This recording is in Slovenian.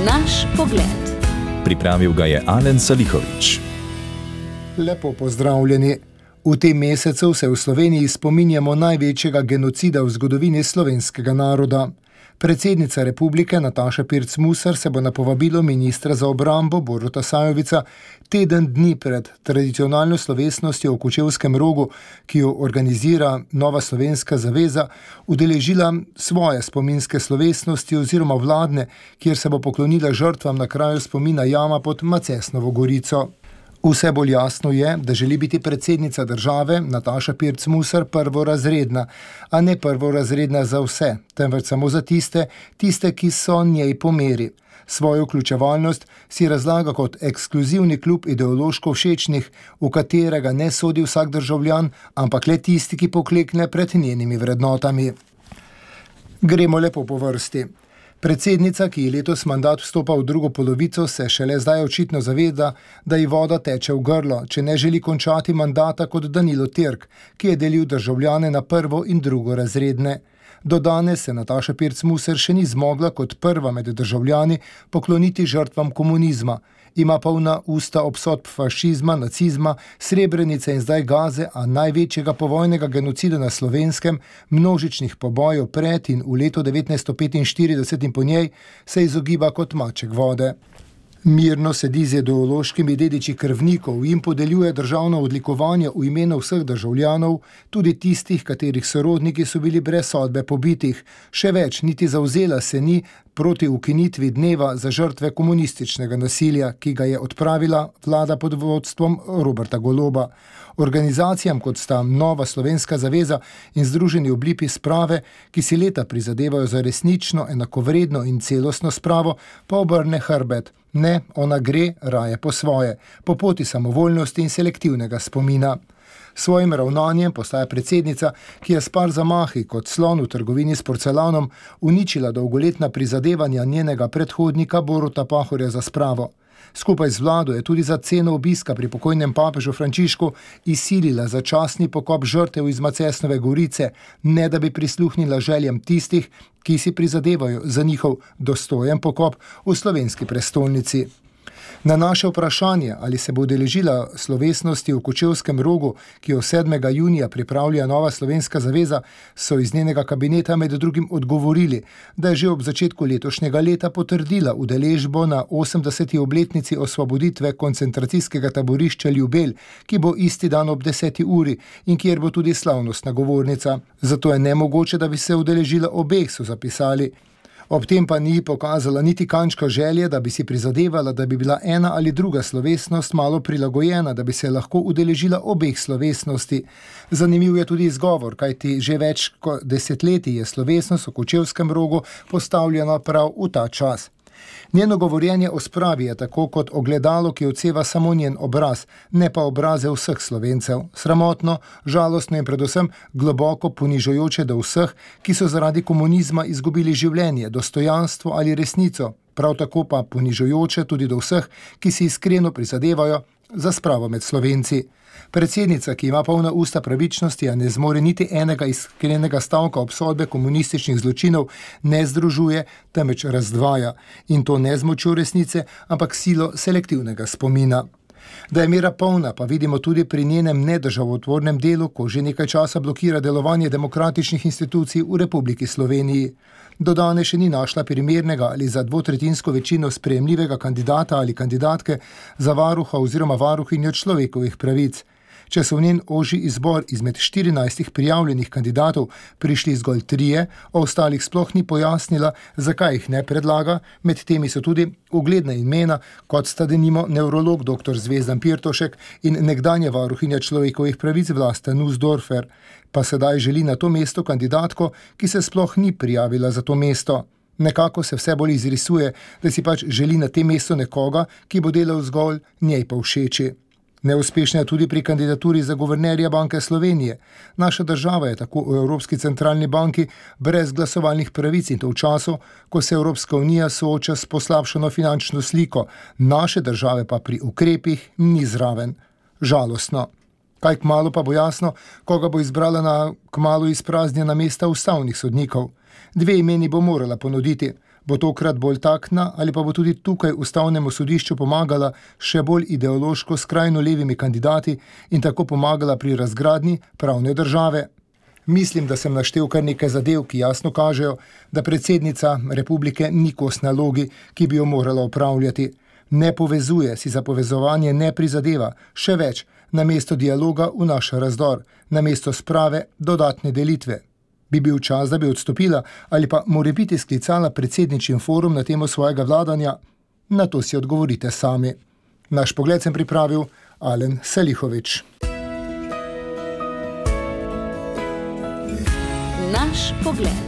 Naš pogled. Pripravil ga je Alen Salihović. Lepo pozdravljeni. V tem mesecu se v Sloveniji spominjamo največjega genocida v zgodovini slovenskega naroda. Predsednica republike Nataša Pirc Musar se bo na povabilo ministra za obrambo Boruta Sajovica teden dni pred tradicionalno slovesnostjo v Kočevskem Rogu, ki jo organizira Nova slovenska zaveza, udeležila svoje spominske slovesnosti oziroma vladne, kjer se bo poklonila žrtvam na kraju spomina jama pod Macesnovo Gorico. Vse bolj jasno je, da želi biti predsednica države Nataša Pirc Musar prvorazredna, a ne prvorazredna za vse, temveč samo za tiste, ki so njej po meri. Svojo vključevalnost si razlaga kot ekskluzivni klub ideološko všečnih, v katerega ne sodi vsak državljan, ampak le tisti, ki poklekne pred njenimi vrednotami. Gremo lepo po vrsti. Predsednica, ki je letos mandat vstopa v drugo polovico, se šele zdaj očitno zaveda, da ji voda teče v grlo, če ne želi končati mandata kot Danilo Türk, ki je delil državljane na prvo in drugorazredne. Do danes se Nataša Pirc Musar še ni zmogla kot prva med državljani pokloniti žrtvam komunizma. Ima polna usta obsodb fašizma, nacizma, Srebrenice in zdaj Gaze, a največjega povojnega genocida na Slovenskem, množičnih pobojev pred in v letu 1945 in po njej, se izogiba kot maček vode. Mirno sedi z ideološkimi dediči krvnikov in podeljuje državno odlikovanje v imenu vseh državljanov, tudi tistih, katerih sorodniki so bili brez sodbe pobitih. Še več, niti zavzela se ni proti ukinitvi dneva za žrtve komunističnega nasilja, ki ga je odpravila vlada pod vodstvom Roberta Goloba. Organizacijam, kot sta Nova slovenska zaveza in Združeni oblipi sprave, ki si leta prizadevajo za resnično, enakovredno in celostno spravo, pa obrne hrbet. Ne, ona gre raje po svoje, po poti samovoljnosti in selektivnega spomina. Svojim ravnanjem postaja predsednica, ki je s par zamahi kot slon v trgovini s porcelanom uničila dolgoletna prizadevanja njenega predhodnika Boruta Pahorja za spravo. Skupaj z vlado je tudi za ceno obiska pri pokojnem papežu Frančišku izsilila začasni pokop žrtev iz Macesnove Gorice, ne da bi prisluhnila željam tistih, ki si prizadevajo za njihov dostojen pokop v slovenski prestolnici. Na naše vprašanje, ali se bo udeležila slovesnosti v Kočevskem Rogu, ki jo 7. junija pripravlja Nova slovenska zaveza, so iz njenega kabineta med drugim odgovorili, da je že ob začetku letošnjega leta potrdila udeležbo na 80. obletnici osvoboditve koncentracijskega taborišča Ljubelj, ki bo isti dan ob 10. uri in kjer bo tudi slavnostna govornica. Zato je nemogoče, da bi se udeležila obeh, so zapisali. Ob tem pa ni pokazala niti kančka želje, da bi si prizadevala, da bi bila ena ali druga slovesnost malo prilagojena, da bi se lahko udeležila obeh slovesnosti. Zanimiv je tudi izgovor, kajti že več kot desetletij je slovesnost v Kočevskem Rogu postavljena prav v ta čas. Njeno govorjenje o spravi je tako kot ogledalo, ki odseva samo njen obraz, ne pa obraze vseh Slovencev. Sramotno, žalostno in predvsem globoko ponižujoče do vseh, ki so zaradi komunizma izgubili življenje, dostojanstvo ali resnico. Prav tako pa ponižujoče tudi do vseh, ki si iskreno prizadevajo za spravo med Slovenci. Predsednica, ki ima polna usta pravičnosti, a ne zmore niti enega iskrenega stavka obsodbe komunističnih zločinov, ne združuje, temveč razdvaja. In to ne z močjo resnice, ampak silo selektivnega spomina. Da je mera polna, pa vidimo tudi pri njenem nedržavotvornem delu, ko že nekaj časa blokira delovanje demokratičnih institucij v Republiki Sloveniji. Do danes še ni našla primernega ali za dvotretjinsko večino sprejemljivega kandidata ali kandidatke za varuha oziroma varuhinjo človekovih pravic. Če so v njen ožji izbor izmed 14 prijavljenih kandidatov prišli zgolj 3, o ostalih sploh ni pojasnila, zakaj jih ne predlaga, med temi so tudi ugledna imena, kot sta denimo nevrolog dr. Zvezdan Pirtošek in nekdanja varuhinja človekovih pravic Vlasta Nussdorfer, pa sedaj želi na to mesto kandidatko, ki se sploh ni prijavila za to mesto. Nekako se vse bolj izrisuje, da si pač želi na tem mestu nekoga, ki bo delal zgolj njej pa všeči. Neuspešna je tudi pri kandidaturi za guvernerja Banke Slovenije. Naša država je tako v Evropski centralni banki brez glasovalnih pravic in to v času, ko se Evropska unija sooča s poslabšano finančno sliko, naše države pa pri ukrepih ni zraven. Žalostno. Kaj kmalu pa bo jasno, koga bo izbrala na kmalu izpraznjena mesta ustavnih sodnikov. 2 imeni bo morala ponuditi. Bo tokrat bolj taktna ali pa bo tudi tukaj Ustavnemu sodišču pomagala še bolj ideološko skrajno levimi kandidati in tako pomagala pri razgradnji pravne države? Mislim, da sem naštel kar nekaj zadev, ki jasno kažejo, da predsednica republike ni kos nalogi, ki bi jo morala opravljati. Ne povezuje, si za povezovanje ne prizadeva, še več, namesto dialoga vnaša razdor, namesto sprave dodatne delitve. Bi bil čas, da bi odstopila ali pa morebiti sklicala predsedničin forum na temo svojega vladanja? Na to si odgovorite sami. Naš pogled sem pripravil Alen Salihović. Naš pogled.